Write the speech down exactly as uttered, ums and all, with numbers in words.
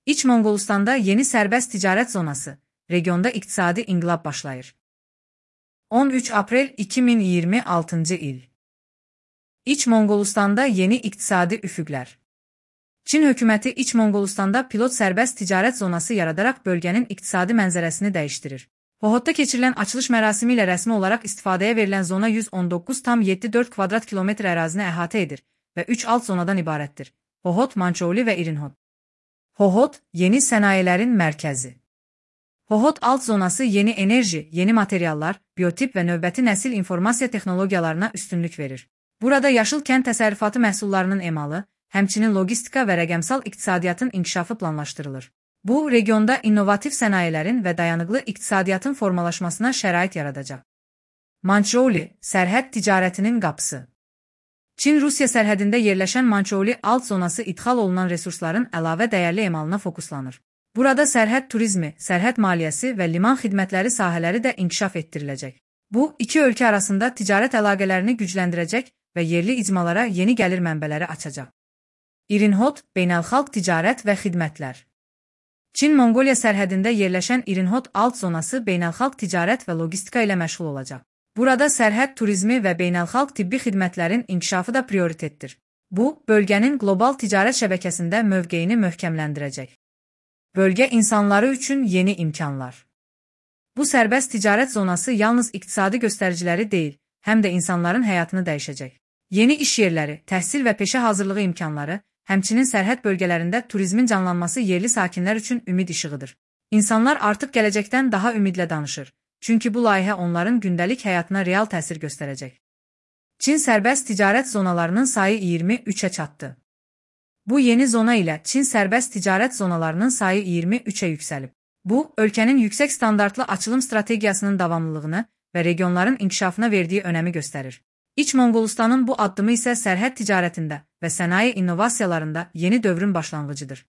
İç Monqolistanda yeni sərbəst ticarət zonası, regionda iqtisadi inqilab başlayır. on üç aprel iki min iyirmi altıncı il. İç Monqolistanda yeni iqtisadi üfüqlər. Çin hökuməti İç Monqolistanda pilot sərbəst ticarət zonası yaradaraq bölgənin iqtisadi mənzərəsini dəyişdirir. Hohodda keçirilən açılış mərasimi ilə rəsmi olaraq istifadəyə verilən zona yüz on doqquz tam yeddi dörd kvadrat kilometr ərazini əhatə edir və üç alt zonadan ibarətdir: Hohod, Mançouli və İrinhod. Hohod, yeni sənayelerin mərkəzi. Hohod alt zonası yeni enerji, yeni materiallar, biotip və növbəti nəsil informasiya texnologiyalarına üstünlük verir. Burada yaşıl kənd təsərrüfatı məhsullarının emalı, həmçinin logistika və rəqəmsal iqtisadiyyatın inkişafı planlaşdırılır. Bu, regionda innovativ sənayelerin və dayanıqlı iqtisadiyyatın formalaşmasına şərait yaradacaq. Mançouli, sərhəd ticarətinin qapısı. Çin-Rusiya sərhədində yerləşən Mançouli alt zonası idxal olunan resursların əlavə dəyərli emalına fokuslanır. Burada sərhəd turizmi, sərhəd maliyyəsi və liman xidmətləri sahələri də inkişaf etdiriləcək. Bu, iki ölkə arasında ticarət əlaqələrini gücləndirəcək və yerli icmalara yeni gəlir mənbələri açacaq. İrinhod, beynəlxalq ticarət və xidmətlər. Çin-Monqoliya sərhədində yerləşən İrinhod alt zonası beynəlxalq ticarət və logistika ilə məşğul olacaq. Burada sərhəd turizmi və beynəlxalq tibbi xidmətlərin inkişafı da prioritetdir. Bu, bölgənin qlobal ticarət şəbəkəsində mövqeyini möhkəmləndirəcək. Bölgə insanları üçün yeni imkanlar. Bu sərbəst ticarət zonası yalnız iqtisadi göstəriciləri deyil, həm də insanların həyatını dəyişəcək. Yeni iş yerləri, təhsil və peşə hazırlığı imkanları, həmçinin sərhəd bölgələrində turizmin canlanması yerli sakinlər üçün ümid işığıdır. İnsanlar artıq gələcəkdən daha ümidlə danışır, çünki bu layihə onların gündəlik həyatına real təsir göstərəcək. Çin sərbəst ticarət zonalarının sayı iyirmi üçə çatdı. Bu yeni zona ilə Çin sərbəst ticarət zonalarının sayı iyirmi üçə yüksəlib. Bu, ölkənin yüksək standartlı açılım strategiyasının davamlılığını və regionların inkişafına verdiyi önəmi göstərir. İç Monqolistanın bu addımı isə sərhəd ticarətində və sənaye innovasiyalarında yeni dövrün başlanğıcıdır.